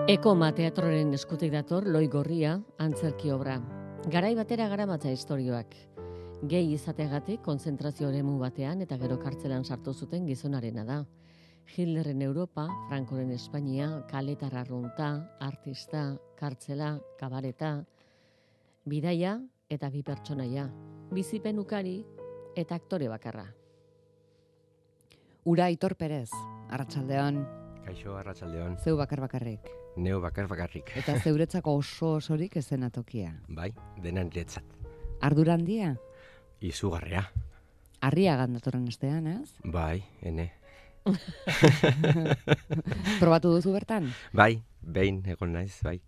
Ekoma teatroren eskutik dator Loi Gorria antzerki obra. Garai batera garamatza istorioak. Gehi izateagatik konzentrazio eremu batean eta gero kartzelan sartu zuten gizonarena da. Hitlerren Europa, Frankoren Espainia, kaletar arrunta, artista, kartzela, kabareta, bidaia eta bi pertsonaia, bizipen ukari eta aktore bakarra. Ura Aitor Perez, arratsaldeon. Kaixo, arratsaldeon. Zeu bakarrik. Neu bakarrik. Eta zeuretzako osorik ezenatokia. Bai, dena niretzat. Ardura handia? Izugarria. Arriagan datorren astean, ez? Bai, ene. Probatu duzu bertan? Bai, behin egon naiz, bai.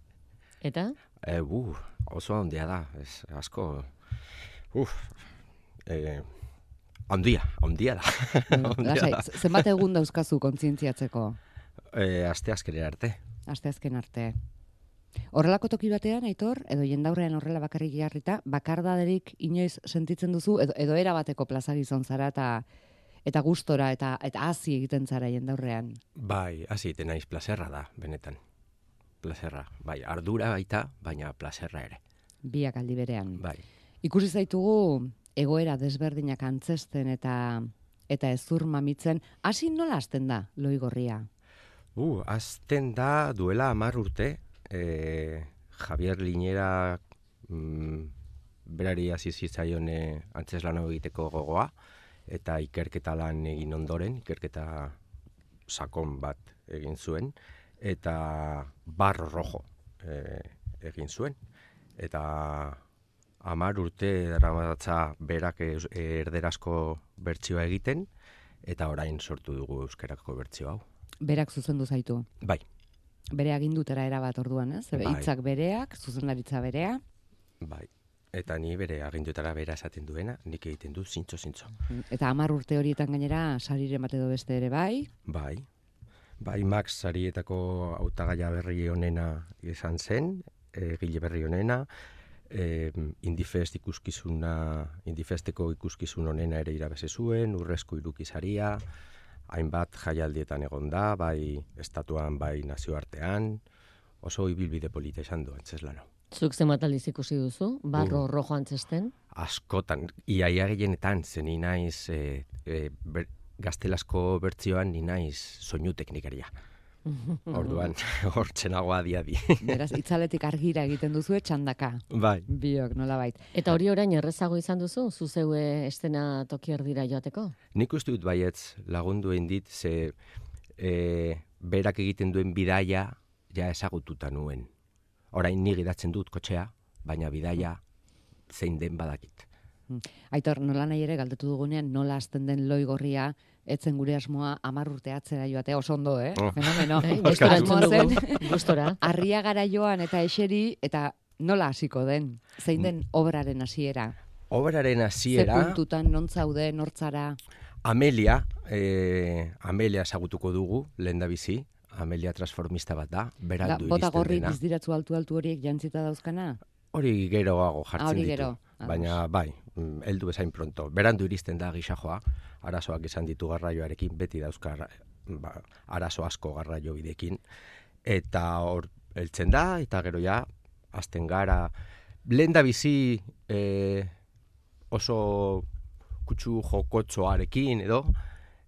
Eta? Oso handia da, ez asko. Handia da. Lasai, zenbat egun dauzkazu kontzientziatzeko? Asteazkenera arte. Asteazken arte. Horrelako toki batean, Aitor, edo jendaurrean horrela bakarrik jarrita, bakardaderik inoiz sentitzen duzu, edo erabateko plaza gizon zara eta gustora eta hazi egiten zara jendaurrean? Bai, hazi egiten naiz, plazerra da, benetan. Plazerra, bai, ardura baita, baina plazerra ere. Biak aldi berean. Bai. Ikusi zaitugu egoera desberdinak antzesten eta ezur mamitzen, hasi nola hasten da, Loi Gorria? Azten da duela 10 urte, Javier Linera berari hasi zitzaion antzezlan egiteko gogoa, eta ikerketa lan egin ondoren, ikerketa sakon bat egin zuen, eta Barro Rojo egin zuen. Eta 10 urte daramatza berak erderazko bertsioa egiten, eta orain sortu dugu euskarako bertsio hau. Berak zuzendu zaitu? Bai. Bere agindutera erabat orduan, ez? Bai. Hitzak bereak, zuzendaritza berea. Bai. Eta ni bere agindutara bera esaten duena, nik egiten du zintzo. Eta 10 urte horietan gainera, sariren bat edo beste ere bai? Bai. Bai, Max sarietako hautagaia berri honena izan zen, egile berri honena, Indifesteko ikuskizun honena ere irabazi zuen, Urrezko Irukisaria, hainbat jaialdietan egon da, bai estatuan, bai nazioartean, oso ibilbide polita izan du antzeslana. Zuk zenbat aldiz ikusi duzu, Barro Rojo antzesten? Askotan, iaia gehienetan, zen ni naiz gaztelazko bertzioan ni naiz soinu teknikaria. Orduan, hortzenago adi. Beraz, itzaletik argira egiten duzu txandaka. Bai. Biok, nolabait. Eta hori orain errezago izan duzu, zuzeue estena toki erdira joateko? Nik uste dut baietz lagundu egin dit, ze berak egiten duen bidaia ja ezagututa nuen. Orain ni gidatzen dut kotxea, baina bidaia zein den badakit. Aitor, nola nahi ere galdetu dugunean nola hasten den Loi Gorria, etzen gure asmoa 10 urte atzera joatea, oso ondo, Fenomeno. Gustora Asmoa entzun zen, dugu, gustora. Arriagara joan eta eseri, eta nola hasiko den? Zein den obraren hasiera? Obraren hasiera... Ze puntutan, non zaude, nortzara? Amelia ezagutuko dugu, lehendabizi. Amelia transformista bat da, berandu iristen dena. Bota gorri bizdiratzu altu horiek jantzita dauzkana? Hori geroago jartzen hori ditu. Gero. Baina bai, heldu bezain pronto. Berandu iristen da gisajoa, arazoak izan ditu garraioarekin, beti dauzka arazo asko garraio bidekin. Eta hor heltzen da, eta gero ja, hasten gara. Lehendabizi oso kutsu jokotxoarekin edo,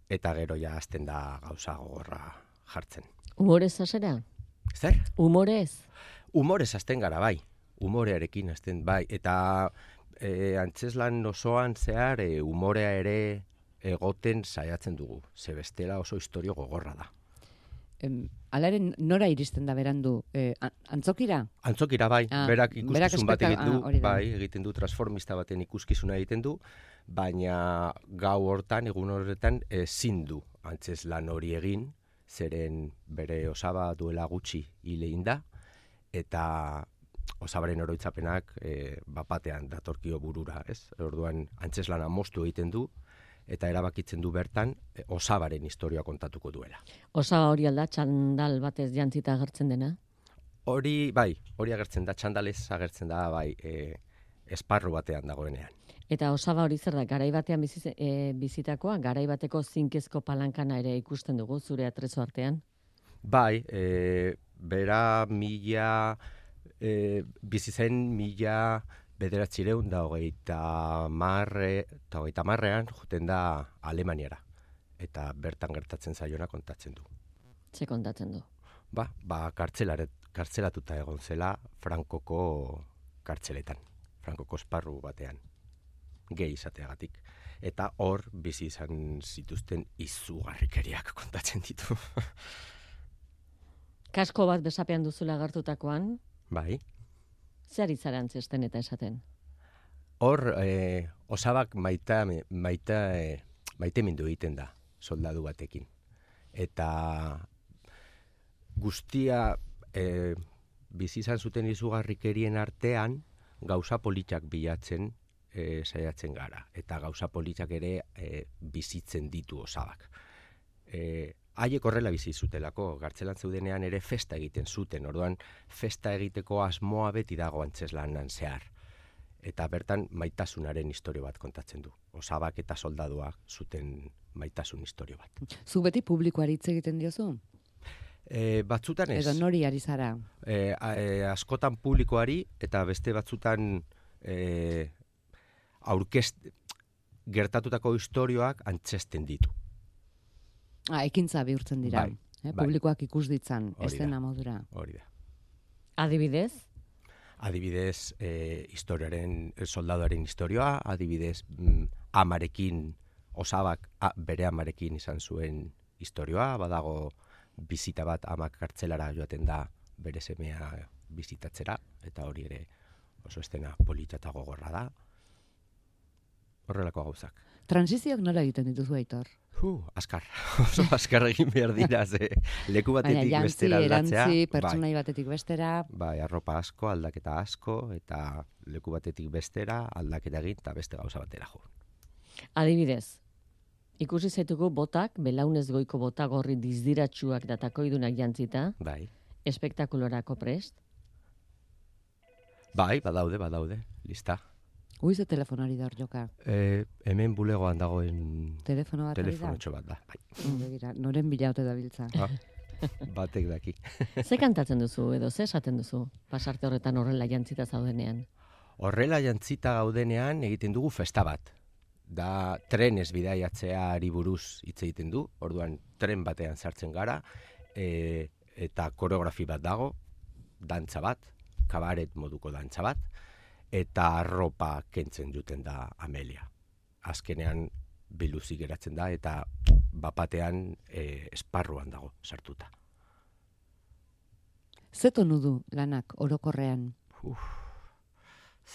eta gero ja hasten da gauza gogorra jartzen. Humorez hasera? Zer? Humorez? Humorez hasten gara, bai. Humorearekin hasten, bai. Eta antzeslan osoan zehar humorea ere egoten saiatzen dugu. Ze bestela oso historio gogorra da. Alaren nora iristen da berandu? Antzokira? Antzokira, bai. Berak ikuskizun bat egiten du, bai, egiten du, transformista baten ikuskizuna egiten du, baina gau hortan, egun horretan, ezin du antzeslan hori egin, zeren bere osaba duela gutxi hilein da, eta osabaren oroitzapenak bapatean datorkio burura, ez? Orduan antzeslana moztu egiten du, eta erabakitzen du bertan osabaren historia kontatuko duela. Osaba hori alda, txandal batez jantzita agertzen dena? Hori, bai, hori agertzen da, txandalez agertzen da, bai, esparru batean dagoenean. Eta osaba hori zer da, garai batean bizitakoa, garai bateko zinkezko palankana ere ikusten dugu zure atrezo artean? Bai, bera bizi zen 1930ean joten da Alemaniara. Eta bertan gertatzen zaiona kontatzen du. Ze kontatzen du? Kartzelatuta egon zela Frankoko kartzeletan. Frankoko esparru batean. Gehi izateagatik. Eta hor bizi izan zituzten izugarrikeriak kontatzen ditu. Kasko bat besapean duzula agertutakoan, Bai. zer izara antzesten eta esaten? Hor, osabak maitemindu egiten da, soldadu batekin. Eta guztia bizi izan zuten izugarrikerien artean, gauza politak bilatzen saiatzen gara. Eta gauza politak ere bizitzen ditu osabak. Haiek horrela bizi zutelako, gartzelan zeudenean ere festa egiten zuten, orduan festa egiteko asmoa beti dago antzeslanan zehar. Eta bertan maitasunaren istorio bat kontatzen du. Osabak eta soldaduak zuten maitasun istorio bat. Zu beti publikoari hitz egiten diozu? Batzutan ez. Edo nori ari zara? Askotan publikoari eta beste batzutan gertatutako istorioak antzesten ditu. Ekintza bihurtzen dira. Bai. Publikoak ikus ditzan, Hori da. eszena modura. Hori da. Adibidez? Adibidez, soldaduaren istorioa, adibidez, amarekin, osabak bere amarekin izan zuen istorioa, badago bizita bat amak kartzelara joaten da bere semea bizitatzera, eta hori ere oso estena polita eta gogorra da. Horrelako gauzak. Transizioak nola egiten dituzu, Aitor? Askar. Oso askar egin behar dira, leku batetik bestera aldatzea. Erantzi, pertsonai batetik bestera. Bai, arropa asko, aldaketa asko, eta leku batetik bestera, aldaketa egin, eta beste gauza batera jo. Adibidez, ikusi zaitugu botak, belaunez goiko bota gorri dizdiratsuak datakoidunak jantzita, Bai. espektakulorako prest. Bai, badaude, lista. Ze telefonari da hor joka? Hemen bulegoan dagoen Telefono bat ari da? telefonotxo bat da. Bai. Begira, noren bilaute dabiltza. Batek daki. Ze kantatzen duzu edo ze esaten duzu pasarte horretan horrela jantzita zaudenean? Horrela jantzita gaudenean egiten dugu festa bat. Da trenez bidaiatzeari buruz hitz egiten du, orduan tren batean sartzen gara, eta koreografi bat dago, dantza bat, kabaret moduko dantza bat, eta arropa kentzen duten da Amelia. Azkenean biluzik geratzen da, eta bapatean esparruan dago sartuta. Ze tonu du lanak orokorrean?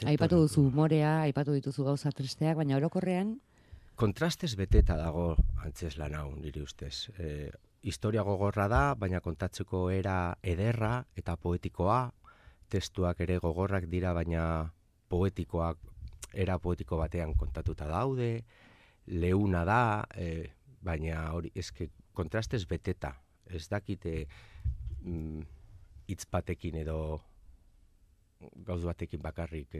Aipatu duzu umorea, aipatu dituzu gauza tristeak, baina orokorrean? Kontrastez beteta dago antzeslan hau, niri ustez. Historia gogorra da, baina kontatzeko era ederra eta poetikoa, testuak ere gogorrak dira, baina poetikoak, era poetiko batean kontatuta daude, leuna da, baina hori, eske kontrastez beteta. Ez dakite hitz batekin edo gauz batekin bakarrik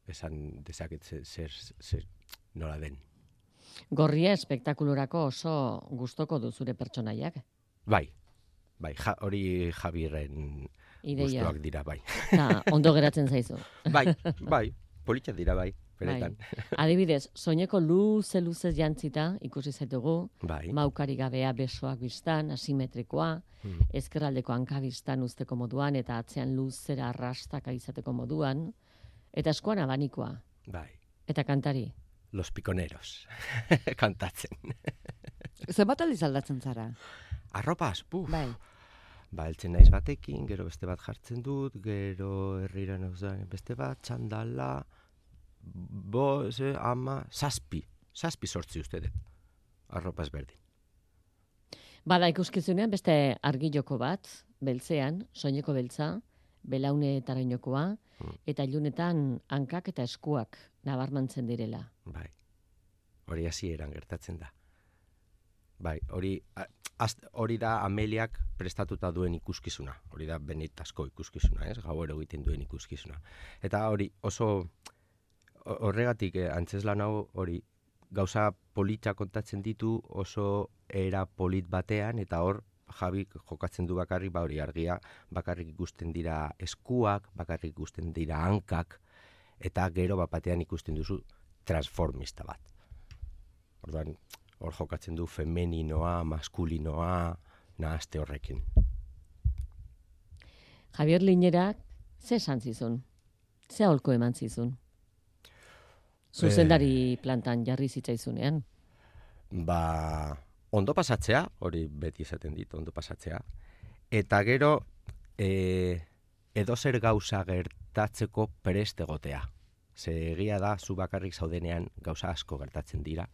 esan dezaket zer nola den. Gorria espektakulorako oso gustoko du zure pertsonaiak. Bai, hori Javierren Ideia. gustuak dira, bai. Ta, ondo geratzen zaizu. Bai, politxak dira, bai, benetan. Adibidez, soineko luze jantzita ikusi zaitugu, Bai. maukari gabea besoak biztan, asimetrikoa, ezkerraldeko hankabistan usteko moduan, eta atzean luzera arrastaka izateko moduan, eta eskuan abanikoa, Bai. eta kantari. Los Piconeros, kantatzen. Zenbat aldiz aldatzen zara? Arropaz, Bai. Eltzen naiz batekin, gero beste bat jartzen dut, gero herrira nauzan beste bat, txandala, zazpi sortzi uste dut, arropaz berdin. Bada ikuskizunean beste argiloko bat, beltzean, soineko beltza, belaune tarainokoa, eta ilunetan hankak eta eskuak nabarmantzen direla. Bai, hori hasieran gertatzen da. Bai, hori da Ameliak prestatuta duen ikuskizuna. Hori da benetazko ikuskizuna, ez? Gauero egiten duen ikuskizuna. Eta hori oso horregatik antzeslan hau hori gauza polita kontatzen ditu oso era polit batean, eta hor Javi jokatzen du bakarrik, hori argia, bakarrik ikusten dira eskuak, bakarrik ikusten dira hankak, eta gero batean ikusten duzu transformista bat. Orduan, hor jokatzen du femeninoa, maskulinoa, nahazte horrekin. Javier Liñerak, ze esan zizun? Ze aholko eman zizun? Zuzendari plantan jarri zitzaizunean. Ondo pasatzea, hori beti izaten dit, ondo pasatzea. Eta gero, edozer gauza gertatzeko prest egotea. Ze egia da, zu bakarrik zaudenean gauza asko gertatzen dira.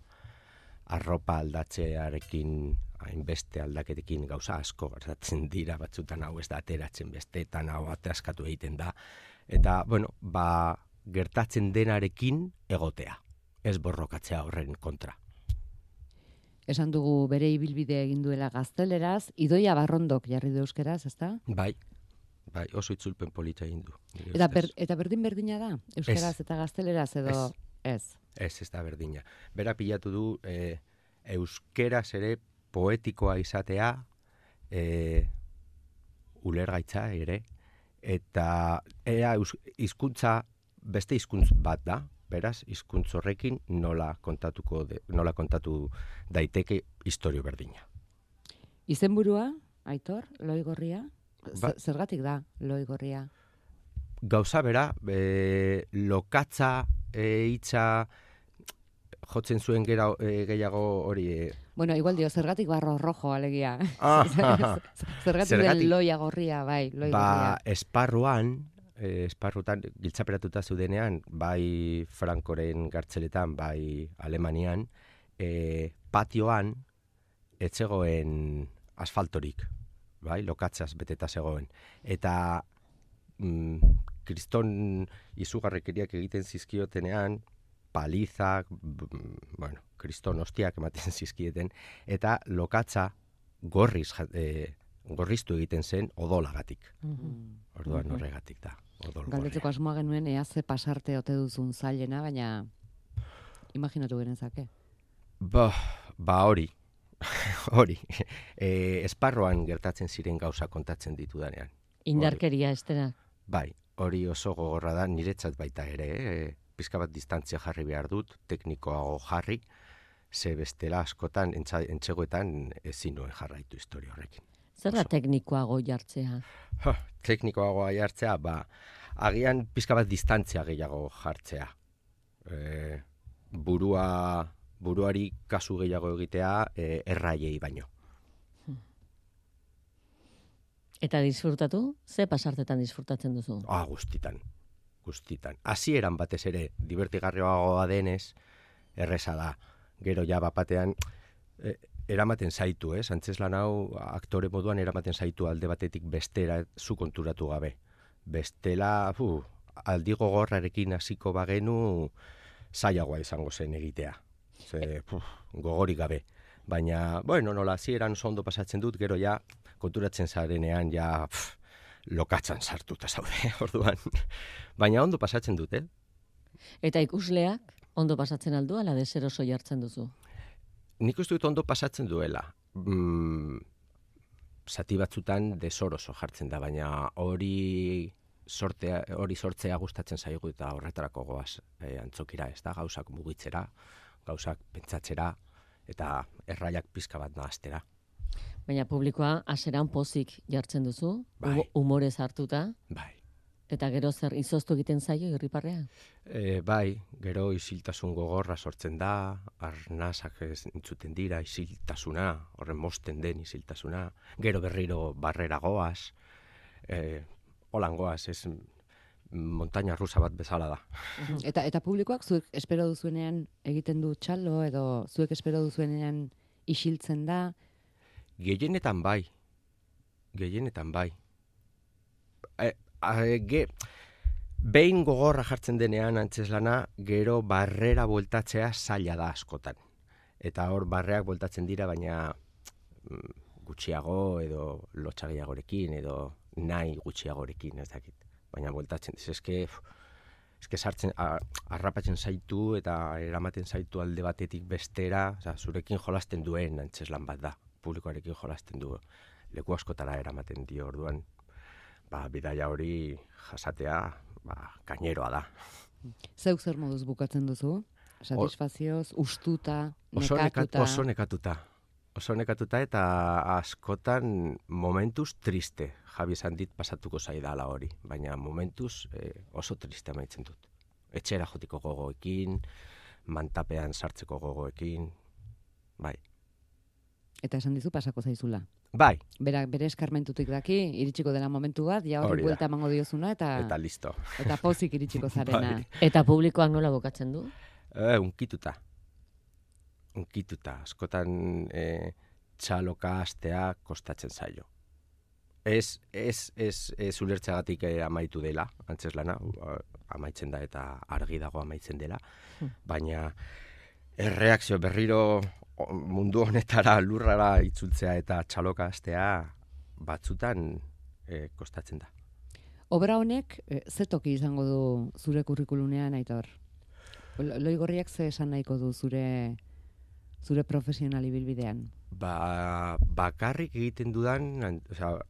Arropa aldatzearekin, hainbeste aldaketekin gauza asko gertatzen dira, batzutan hau ez da ateratzen, besteetan hau atraskatu egiten da. Eta, gertatzen denarekin egotea, ez borrokatzea horren kontra. Esan dugu bere ibilbidea egin duela gazteleraz, Idoia Barrondok jarri du euskeraz, ezta? Bai, oso itzulpen polita egin du. Eta berdina da, euskeraz eta gazteleraz edo ez? Ez da berdina. Bera pilatu du euskeraz ere poetikoa izatea, ulergaitza ere, eta hizkuntza beste hizkuntz bat da, beraz, hizkuntz horrekin nola kontatu daiteke istorio berdina. Izenburua, Aitor, Loigorria? Zergatik da, Loigorria? Gauza bera, lokatza hitza jotzen zuen gehiago hori... Bueno, igual dio, zergatik barro rojo, alegia. Zergatik den loia gorria, bai, Loigorria. Esparrutan giltzaperatuta zudenean, bai Frankoren gartzeletan, bai Alemanian, patioan etzegoen asfaltorik, bai, lokatzaz beteta zegoen. Eta kriston izugarrekeriak egiten zizkiotenean, palizak, kriston hostiak ematen zizkieten, eta lokatza gorriztu egiten zen odolagatik. Orduan horregatik da. Galdetzeko asmoa genuen ea ze pasarte ote duzun zailena, baina imaginatu genezake. Hori. Esparroan gertatzen ziren gauza kontatzen ditudanean. Indarkeria estera. Bai, hori oso gogorra da, niretzat baita ere, pizka bat distantzia jarri behar dut, teknikoago jarri, ze bestela askotan, entzegoetan ezin nuen jarraitu historia horrekin. Zer da teknikoago jartzea? Teknikoago jartzea, agian pizka bat distantzia gehiago jartzea. Buruari kasu gehiago egitea erraiei baino. Eta disfrutatu? Ze pasartetan disfrutatzen duzu? Guztitan. Hasieran batez ere, divertigarriagoa denez, erreza da. Gero ja bapatean... eramaten zaitu, antzeslan hau aktore moduan eramaten zaitu alde batetik bestera zu konturatu gabe. Bestela, aldi gogorrarekin hasiko bagenu zailagoa izango zen egitea. Gogorik gabe. Baina, nola hasieran oso ondo pasatzen dut, gero ja konturatzen zarenean ja lokatzan sartuta zaude, orduan. Baina ondo pasatzen dut, Eta ikusleak ondo pasatzen aldu, ala deseroso jartzen duzu? Nik uste dut ondo pasatzen duela. Zati batzutan desoroso jartzen da, baina hori sortzea gustatzen zaigu eta horretarako goaz antzokira, ez da, gauzak mugitzera, gauzak pentsatzera, eta erraiak pizka bat nahaztera. Baina publikoa haseran pozik jartzen duzu, humorez hartuta? Bai. Eta gero zer izoztu egiten zaio irriparrea? Bai, gero isiltasun gogorra sortzen da, arnazak entzuten dira, isiltasuna, horren mosten den isiltasuna, gero berriro barrera goaz, holan goaz, ez montaña rusa bat bezala da. Eta publikoak zuek espero duzuenean egiten du txalo, edo zuek espero duzuenean isiltzen da? Gehienetan bai. Behin gogorra jartzen denean antzeslana, gero barrera bueltatzea zaila da askotan. Eta hor barreak bueltatzen dira, baina gutxiago edo lotxagiagorekin edo nahi gutxiagorekin, ez dakit. Baina bueltatzen, eske sartzen, arrapatzen zaitu eta eramaten zaitu alde batetik bestera, zurekin jolasten duen antzeslan bat da, publikoarekin jolasten du. leku askotara eramaten dio orduan. Bidaia hori jasatea, gaineroa da. Zeuk zer moduz bukatzen duzu? Satisfazioz, ustuta, Oso nekatuta? Oso nekatuta eta askotan momentuz triste. Javi esan dit pasatuko zaidala hori, baina momentuz oso triste amaitzen dut. Etxera jotiko gogoekin, mantapean sartzeko gogoekin, bai. Eta esan dizu pasako zaizula. Bai. Bere eskarmentutik daki, iritsiko dela momentu bat, ja hori buelta emango diozuna, eta listo. Eta pozik iritsiko zarena. Bai. Eta publikoak nola bukatzen du? Unkituta. Askotan txaloka astea kostatzen zaio. Ez ulertzeagatik amaitu dela, antzeslana, amaitzen da eta argi dago amaitzen dela, baina erreakzio berriro mundu honetara lurrara itzultzea eta txaloka astea batzutan kostatzen da. Obra honek ze toki izango du zure kurrikulunean, Aitor? Loigorriak ze esan nahiko du zure profesional ibilbidean? Bakarrik egiten dudan,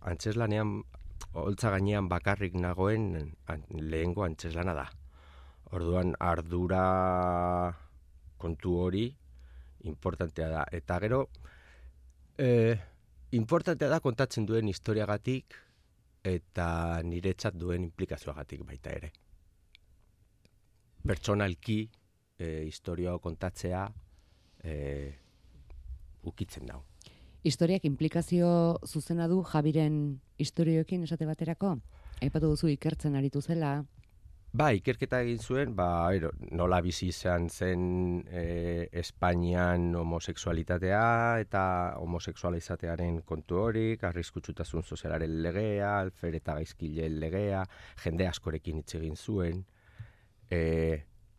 antzeslanean, holtza gainean bakarrik nagoen lehengo antzeslana da. Orduan ardura kontu hori importantea da. Eta gero, importantea da kontatzen duen historiagatik eta niretzat duen implikazioagatik baita ere. Pertsonalki historia kontatzea ukitzen dau. Historiak implikazio zuzena du Javiren istorioekin esate baterako? Aipatu duzu ikertzen aritu zela. Ikerketa egin zuen, nola bizi izan zen Espainian homosexualitatea eta homosexuala izatearen kontu horik, arriskutsutasun sozialaren legea, alfer eta gaizkileen legea, jende askorekin hitz egin zuen,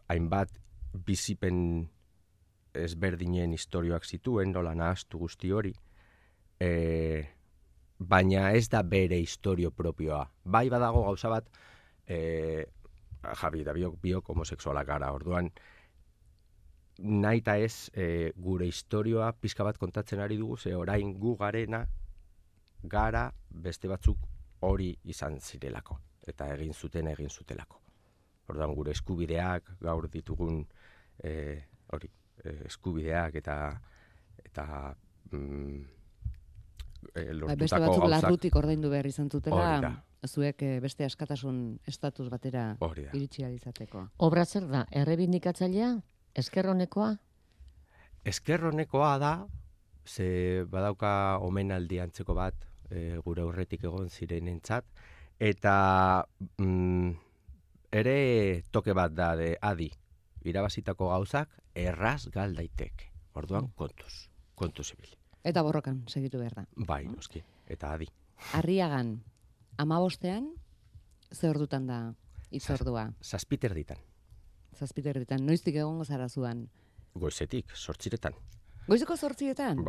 hainbat bizipen ezberdinen istorioak zituen, nola nahastu guzti hori, baina ez da bere istorio propioa. Badago gauza bat, Javi da biok homosexualak gara, orduan nahi eta ez gure istorioa pizka bat kontatzen ari dugu, ze orain gu garena gara beste batzuk hori izan zirelako, eta egin zutelako. Orduan gure eskubideak, gaur ditugun eskubideak eta lortutako beste batzuk gauzak. larrutik ordaindu behar izan zutela, Hori da. zuek beste askatasun estatus batera iritsi ahal izateko. Obra zer da, errebindikatzailea? Eskerronekoa? Eskerronekoa da, ze badauka omenaldi antzeko bat gure aurretik egon zirenentzat, eta ere toke bat da de adi, irabazitako gauzak erraz gal daiteke. Orduan kontuz ibili. Eta borrokan segitu behar da. Bai, noski, eta adi. Arriagan, 15ean, ze ordutan da itzordua? 7 ditan. 7 ditan, noiztik egongo zara zuan? Goizetik, 8. Goizeko 8etan?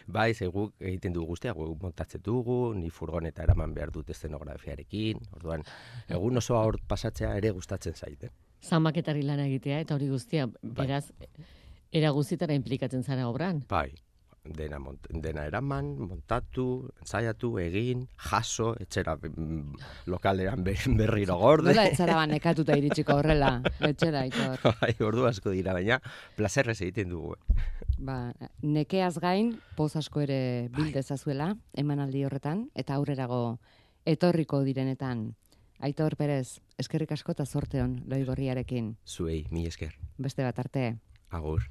Bai, ze guk egiten dugu guztia, guk montatzen dugu, ni furgoneta eraman behar dut eszenografiarekin, orduan, egun osoa hor pasatzea ere gustatzen zait, Zamaketari lana egitea, eta hori guztia, beraz, era guztietara implikatzen zara obran. Bai, dena eraman, montatu, ensaiatu, egin, jaso, etxera lokalean berriro gorde. Nola etxera nekatuta iritsiko horrela, etxera, Aitor. Bai, ordu asko dira, baina plazerrez egiten dugu. Nekeaz gain, poz asko ere bildezazuela, emanaldi horretan, eta aurrerago etorriko direnetan. Aitor Perez, eskerrik asko eta zorte on Loigorriarekin. Zuei, mil esker. Beste bat arte. Agur.